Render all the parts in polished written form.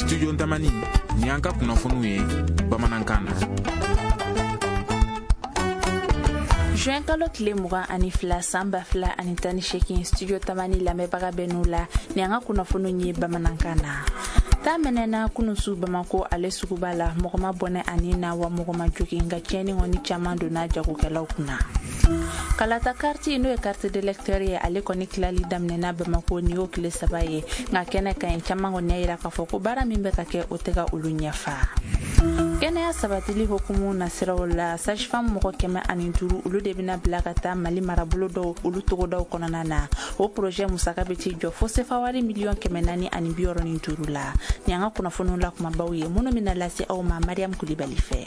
Studio Ntamani, nin y'an ka kunnafoniw ye bamanankan na. Juin kalo tile 22 san 2018, Studio Tamani lamɛnbaga bɛ n'u la, nin y'an ka kunnafoniw ye bamanankan na. Ta mɛnɛna kununsu Bamako ale suguba la, mɔgɔ ma bɔnɛ ani na wa mɔgɔ ma jogin, nka tiɲɛni kɔni caman donna jagokɛlaw kunna. Kalata kariti, n'o ye carte d'électeur ye, ale kɔni tilali daminɛna Bamako, nin y'o tile 3 ye, nka kɛnɛ ka ɲi, caman kɔni y'a yira k'a fɔ ko baara min bɛ ka kɛ, o tɛ ka olu ɲɛfa. Kɛnɛya sabatili hukumu nasiraw la, sage-femme mɔgɔ 105, olu de bɛna bila ka taa Mali marabolo dɔw olu togodaw kɔnɔna na. O projet musaka bɛ t'i jɔ fo sefa wari 465 miliyɔn la. Nin y'an ka kunnafoniw la kumabaw ye minnu bɛna lase aw ma Mariam Kulibali fɛ.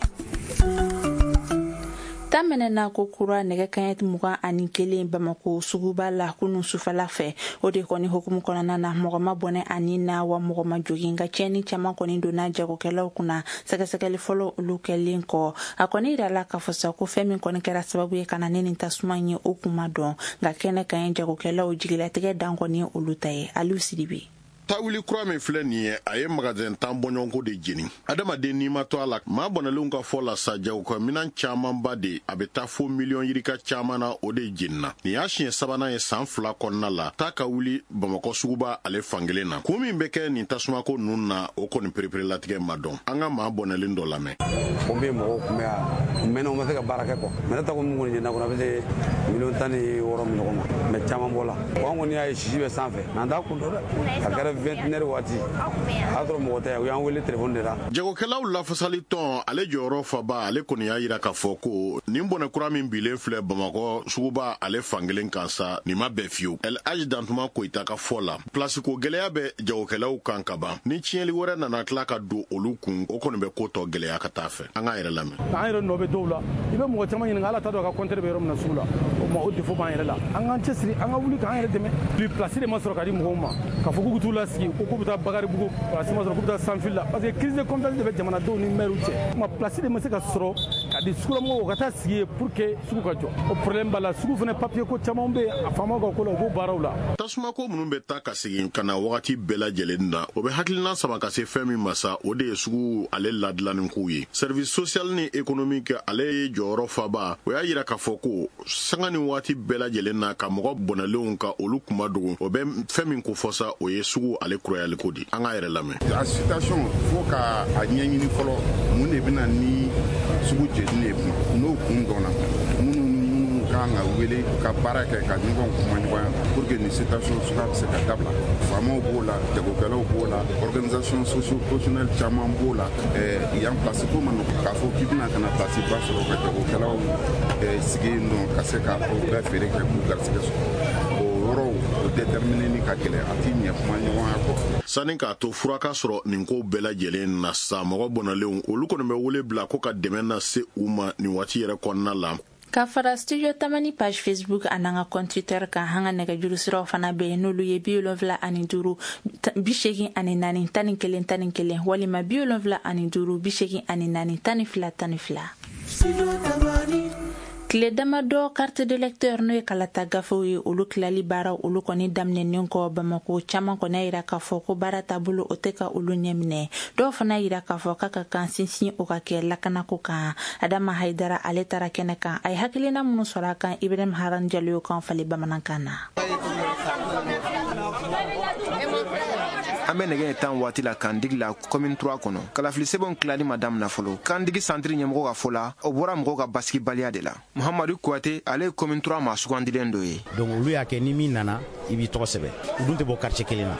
Ta mɛnɛna ko kura nɛgɛ kaɲɛ 21 Bamako suguba la kunun sufɛla fɛ. O de kɔni hukumu kɔnɔna na, mɔgɔ ma bɔnɛ ani na wa mɔgɔ ma jogin, nka tiɲɛni caman kɔni donna jagokɛlaw kunna. Sɛgɛsɛgɛli fɔlɔ olu kɛlen kɔ, a kɔni yirala k'a fɔ sa ko fɛn min kɔni kɛra sababu ye ka na ne nin tasuma ye, o kun ma dɔn, nka kɛnɛ ka ɲi, jagokɛlaw jigilatigɛ dan kɔni ye olu ta ye. Aliou Sidibe. Tawuli kura min filɛ nin ye, a ye magasin 10 bɔɲɔgɔnko de jeni. Adamaden n'i ma to a la, maa bɔnɛlenw ka fɔ la sa, jagokɛ minan camanba de, a bɛ taa fo miliyɔn yirika caman na, o de jenina. Nin y'a siɲɛ sabanan ye san 2 kɔnɔna la taa ka wuli Bamakɔ suguba ale fankelen na. Kun min bɛ kɛ nin tasumako ninnu na, o kɔni pereperelatigɛ ma dɔn. An ka maa bɔnɛlen dɔ lamɛn. Pompier mɔgɔw tun bɛ yan, u mɛnna, u ma se ka baara kɛ quoi. Mais ne ta ko min kɔni jenina kɔnɔ, a bɛ se 16 miliyɔn min ɲɔgɔn ma, mais caman bɔla. An kɔni y'a ye sisi bɛ sanfɛ, mais an t'a kun dɔn dɛ. A kɛra 21 waati, a y'a sɔrɔ mɔgɔ tɛ yan, u y'an wele téléphone de la. Jagokɛlaw lafasali tɔn ale jɔyɔrɔ faba, ale kɔni y'a yira k'a fɔ ko nin bɔnɛ kura min bilen filɛ Bamakɔ suguba ale fankelen kan sa, nin ma bɛn fiyewu. El Hadj Dantuma Koyita ka fɔ la, pilasiko gɛlɛya bɛ jagokɛlaw kan ka ban, ni tiɲɛli wɛrɛ nana tila ka don olu kun, o kɔni bɛ ko tɔ gɛlɛya ka taa fɛ. An k'a yɛrɛ lamɛn. An yɛrɛ nɔ bɛ dɔw la, i bɛ mɔgɔ caman ɲininka, ala t'a dɔn a ka compteur bɛ yɔrɔ min na sugu la. O ma, o défaut b'an yɛrɛ la. An k'an cɛsiri, an ka wuli k'an yɛrɛ dɛmɛ. Bi place de ma sɔrɔ ka di mɔgɔw ma k'a fɔ k'u bɛ t'u lasigi, ko k'u bɛ taa Bakaribugu, place ma sɔrɔ, k'u bɛ taa Sanfili la, parce que crise de confiance de bɛ jamanadenw ni maires cɛ. Ma place de ma se ka sɔrɔ ka di sugulamɔgɔw ka taa sigi yen pour que sugu ka jɔ, o problème b'a la. Sugu fana papier ko caman bɛ yen, a faamaw ka ko la, u b'o baaraw la. Tasumako minnu bɛ taa ka segin ka na wagati bɛɛ lajɛlen na, o bɛ hakilina sama ka se fɛn min ma sa, o de ye sugu ale ladilanni kow ye. Service social ni économique ale ye jɔyɔrɔ faba, o y'a yira k'a fɔ ko sanga ni waati bɛɛ lajɛlen na, ka mɔgɔ bɔnɛlenw ka olu kuma dogo, o bɛ fɛn min ko fɔ sa, o ye sugu ale kurayaliko di. An k'a yɛrɛ lamɛn. A situation, fo ka a ɲɛɲini fɔlɔ, mun de bɛna ni sugu jeni ye. N'o kun dɔnna, minnu minnu kan ka wele ka baara kɛ ka ɲɔgɔn kuma ɲɔgɔnya pour que nin situation suguya bɛ se ka dabila, faamaw b'o la, jagokɛlaw b'o la, organisation socio professionnelle caman b'o la. Yan place ko ma nɔgɔn k'a fɔ k'i bɛna ka na place ba sɔrɔ ka jagokɛlaw sigi yen nɔ ka se ka o bɛɛ feere kɛ k'u garisɛgɛ sɔrɔ. O yɔrɔw o déterminer ni ka gɛlɛn, a t'i ɲɛ kuma ɲɔgɔnya kɔ. Sani k'a to fura ka sɔrɔ nin ko bɛɛ lajɛlen na sa, mɔgɔ bɔnɛlenw olu kɔni bɛ wele bila ko ka dɛmɛ na se u ma nin waati yɛrɛ kɔnɔna la. Ka fara Studio Tamani page Facebook an'an ka compte Twitter kan, an ka nɛgɛjuru siraw fana bɛ yen, n'olu ye 75 84 11 11 walima 75 84 12 12. Tile damadɔ carte d'électeur, n'o ye kalata gafew ye, olu tilali baaraw olu kɔni daminɛnen kɔ Bamako, caman kɔni y'a yira k'a fɔ ko baara taabolo o tɛ ka olu ɲɛminɛ. Dɔw fana yira k'a fɔ k'a ka kan sinsin o ka kɛ lakanako kan. Adama Haidara, ale taara kɛnɛ kan, a ye hakilina minnu sɔrɔ a kan, Ibrahim Haran Jalo y'o kan falen bamanankan na. An bɛ nɛgɛ 10 waati la Kandigi la, commune 3 kɔnɔ. Kalafili sɛbɛnw tilali ma damina fɔlɔ. Kandigi santiri ɲɛmɔgɔ ka fɔ la, o bɔra mɔgɔw ka basigibaliya de la. Muhamadu Kuyate, ale ye commune 3 maa sugandilen dɔ ye. Donc olu y'a kɛ, ni min nana, i b'i tɔgɔ sɛbɛn. U dun tɛ bɔ quartier kelen na,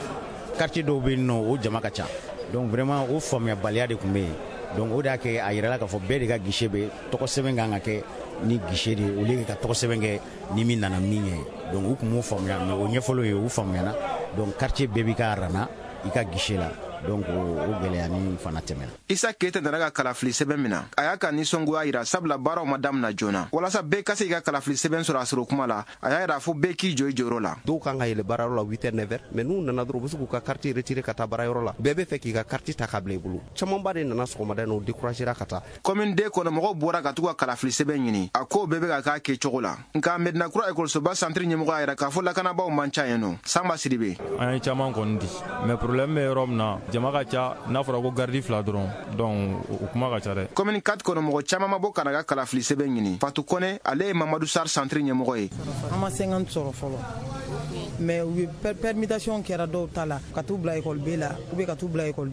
quartier dɔw bɛ yen nɔ, o jama ka ca. Donc vraiment, o faamuyabaliya de tun bɛ yen. Donc o de y'a kɛ a yirala k'a fɔ bɛɛ de ka guichet bɛ tɔgɔ sɛbɛn kan ka kɛ ni guichet de ye, au lieu ka tɔgɔ sɛbɛn kɛ ni min nana min ye. Donc u tun m'o faamuya, mais o ɲɛfɔliw ye, u faamuyana. Donc quartier bɛɛ b'i ka rang na i ka guichet la. Donc o gɛlɛya ni fana tɛmɛna. Isa Keyita nana ka kalafili sɛbɛn min na, a y'a ka nisɔngoya yira, sabula baaraw ma damina joona walasa bɛɛ ka se k'i ka kalafili sɛbɛn sɔrɔ a sɔrɔ kuma la. A y'a yira fo bɛɛ k'i jɔ i jɔyɔrɔ la. Dɔw kan ka yɛlɛ baarayɔrɔ la 8 heures, 9 heures, mais n'u nana dɔrɔn, u bɛ se k'u ka carte retirer ka taa baarayɔrɔ la. Bɛɛ bɛ fɛ k'i ka carte ta k'a bila i bolo. Camanba de nana sɔgɔmada in na, u découragera ka taa. Commune deux kɔnɔ, mɔgɔw bɔra ka t'u ka kalafili sɛbɛn ɲini, a ko bɛɛ bɛ ka k'a kɛcogo la. Nka Medina Kura ekɔlisoba santiri ɲɛmɔgɔ y'a yira k'a fɔ lakanabaaw man ca yen nɔ. Sanba Sidibe. An ye caman kɔni di, mais problème bɛ yɔrɔ min na. Jama ka ca, n'a fɔra ko garidi 2 dɔrɔn, donc o kuma ka ca dɛ. Commune 4 kɔnɔ, mɔgɔ caman ma bɔ ka na ka kalafili sɛbɛn ɲini. Fatou Kone, ale ye Mamadu Sar centre ɲɛmɔgɔ ye. An ma 50 sɔrɔ fɔlɔ, mais u ye permutation kɛra dɔw ta la ka t'u bila école B la ou bien ka t'u bila école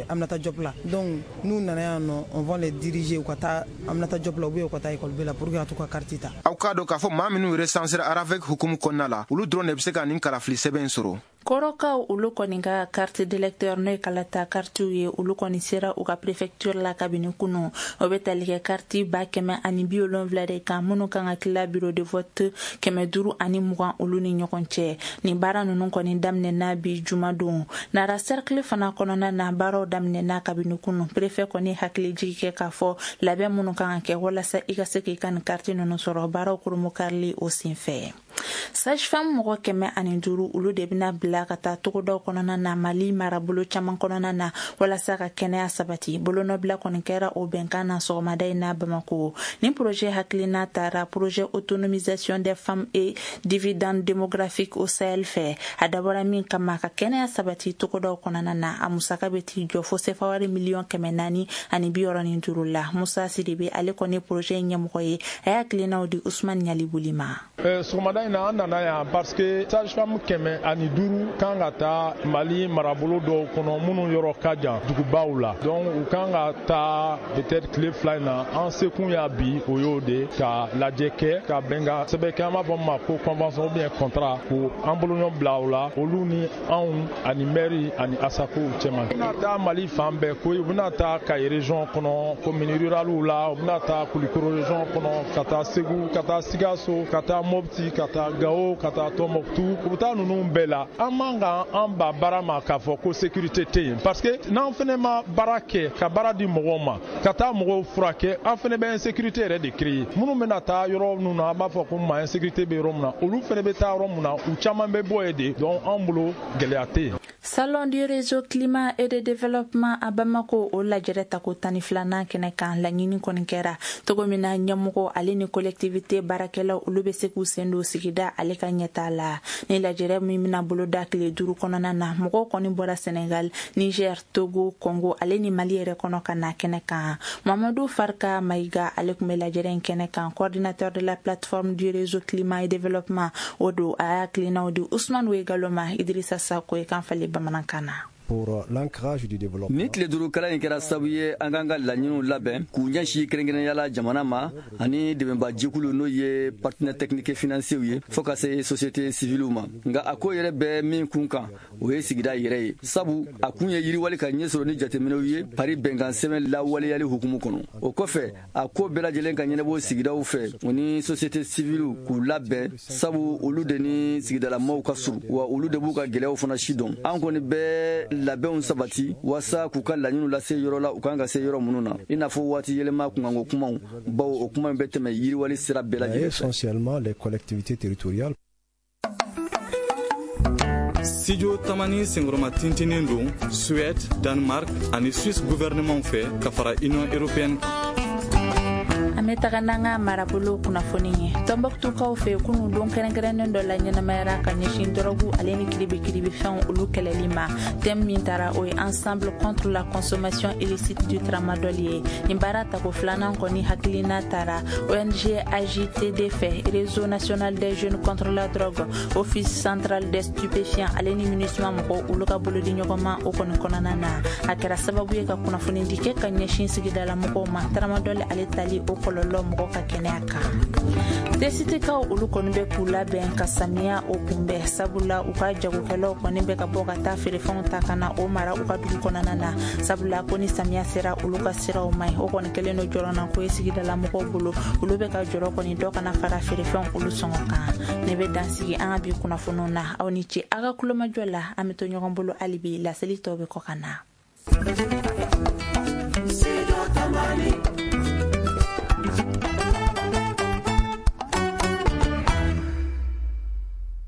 Aminata Diop la. Donc n'u nana yan nɔ, on va les diriger u ka taa Aminata Diop la ou bien u ka taa école B la pour que ka t'u ka carte ta. Aw k'a dɔn k'a fɔ maa minnu recensera ARAFEC hukumu kɔnɔna la, olu dɔrɔn de bɛ se ka nin kalafili sɛbɛn sɔrɔ. Kɔrɔkaw olu kɔni ka carte d'électeur, n'o ye kalata kartiw ye, olu kɔni sera u ka préfecture la kabini kunu. O bɛ tali kɛ karti 170 000 de kan minnu kan ka tila bureau de vote 520 olu ni ɲɔgɔn cɛ. Nin baara ninnu kɔni daminɛna bi jumadon. Nara cercle fana kɔnɔna na, baaraw daminɛna kabini kunu. Préfet kɔni hakili jigi kɛ k'a fɔ labɛn minnu kan ka kɛ walasa i ka se k'i ka nin karti ninnu sɔrɔ, baaraw koromokarili o senfɛ. Sage femme mɔgɔ 105, olu de bɛna bila ka taa togodaw kɔnɔna na, Mali marabolo caman kɔnɔna na, walasa ka kɛnɛya sabati. Bolonɔbila kɔni kɛra o bɛnkan na sɔgɔmada in na Bamako. Ni projet hakilina taara projet autonomisation des femmes et dividende démographique au Sahel fɛ. A dabɔra min kama, ka kɛnɛya sabati togodaw kɔnɔna na. A musaka bɛ t'i jɔ fo sefawari 465 miliyɔn la. Musa Sidibe, ale kɔni projet ɲɛmɔgɔ ye, a y'a hakilinaw di Usman Ɲalibuli ma. Sɔgɔmada in na, an nana yan parce que sage femme 105 kan ka taa Mali marabolo dɔw kɔnɔ minnu yɔrɔ ka jan dugubaw la. Donc u kan ka taa peut-être tile 2 in na. An sekun y'a bi, o y'o de ka lajɛ kɛ, ka bɛnkan sɛbɛn kɛ, an b'a fɔ min ma ko convention ou bien contrat, ko an bolonɔ bila o la, olu ni anw ani maire ani ASACO cɛma. U bɛna taa Mali fan bɛɛ koyi. U bɛna taa Kayi région kɔnɔ, commune rurale la, u bɛna taa Kulikoro région kɔnɔ, ka taa Segu, ka taa Sikaso, ka taa Mopti, ka taa Gao, ka taa Tombouctou. U bɛ taa ninnu bɛɛ la. An man kan an ba baara ma k'a fɔ ko sécurité tɛ yen, parce que n'an fɛnɛ ma baara kɛ ka baara di mɔgɔw ma, ka taa mɔgɔw furakɛ, an fɛnɛ bɛ insécurité yɛrɛ de créer. Minnu bɛna taa yɔrɔ minnu na, an b'a fɔ ko ma insécurité bɛ yɔrɔ min na, olu fɛnɛ bɛ taa yɔrɔ min na, u caman bɛ bɔ yen de. Donc an bolo, gɛlɛya tɛ yen. Salon du réseau climat et de développement à Bamako, o lajɛrɛ tako 12nan kɛnɛ kan, laɲini kɔni kɛra togo min na ɲɛmɔgɔ ale ni collectivité baarakɛlaw, olu bɛ se k'u sen don sigida ale ka ɲɛta la. Ni lajɛrɛ min bɛna boloda tile 5 kɔnɔna na, mɔgɔw kɔni bɔra Senegal, Niger, Togo, Congo ale ni Mali yɛrɛ kɔnɔ ka na kɛnɛ kan. Mamadu Farka Mayiga, ale tun bɛ lajɛrɛ in kɛnɛ kan, coordinateur de la plateforme du réseau climat et développement o don. A y'a hakilinaw di Usman Wegalo ma, Idrissa Sako ye kan falen bamanankan na. Pour l'ancrage du développement. Ni tile 5 kalan in kɛra sababu ye an k'an ka laɲiniw labɛn k'u ɲɛsin kɛrɛnkɛrɛnnenya la jamana ma ani dɛmɛba jɛkulu, n'o ye partenaire technique financier ye, fɔɔ ka se société civile ma. Nka a ko yɛrɛ bɛ min kun kan, o ye sigida yɛrɛ ye, sabu a kun ye yiriwali ka ɲɛ sɔrɔ ni jateminɛw ye Paris bɛnkan sɛbɛn lawaleyali hukumu kɔnɔ. O kɔfɛ, a ko bɛɛ lajɛlen ka ɲɛnabɔ sigidaw fɛ, o ni société civile k'u labɛn, sabu olu de ni sigidalamaw ka surun, wa olu de b'u ka gɛlɛyaw fana si dɔn. An kɔni bɛɛ labɛnw sabati waasa k'u ka laɲiniw lase yɔrɔ la u kan ka se yɔrɔ minnu na, i n'a fɔ waati yɛlɛma kunkanko kumaw, bawo o kuma in bɛ tɛmɛ yiriwali sira bɛɛ lajɛlen fɛ. Essentiellement les collectivités territoriales. Studio Tamani senkɔrɔma tintinin don Suède, Danemark ani Suisse gouvernement fɛ ka fara Union européenne kan. An bɛ taga n'an ka marabolo kunnafoni ye. Tɔnbɔkutukaw fɛ, kunu don kɛrɛnkɛrɛnnen dɔ la ɲɛnamayara ka ɲɛsin dɔrɔgu ale ni kiribikiribifɛnw olu kɛlɛli ma. Thème min tara, o ye ensemble contre la consommation illicite du tramadol ye. Nin baara tako filanan kɔni hakilina tara ONG AJTD fɛ, Réseau national des jeunes contre la drogue, Office central des stupéfiants ale ni MINUSMA mɔgɔw, olu ka bolodi ɲɔgɔnma o kɔni kɔnɔna na. A kɛra sababu ye ka kunnafonidi kɛ ka ɲɛsin sigidala mɔgɔw ma, tramadol ale tali o kɔlɔlɔ mɔgɔ ka kɛnɛya kan. Tesitikaw olu kɔni bɛ k'u labɛn ka samiya o kunbɛn, sabula u ka jagokɛlaw kɔni bɛ ka bɔ ka taa feerefɛnw ta ka na o mara u ka dugu kɔnɔna na, sabula ko ni samiya sera, olu ka siraw man ɲi. O kɔni kɛlen don jɔrɔna ko ye sigidala mɔgɔw bolo. Olu bɛ ka jɔrɔ kɔni dɔ kana fara feerefɛnw olu sɔngɔ kan. Ne bɛ dansigi an ka bi kunnafoniw na. Aw ni ce aw ka kulomajɔ la. An bɛ to ɲɔgɔn bolo hali bi, laseli tɔw bɛ kɔ ka na.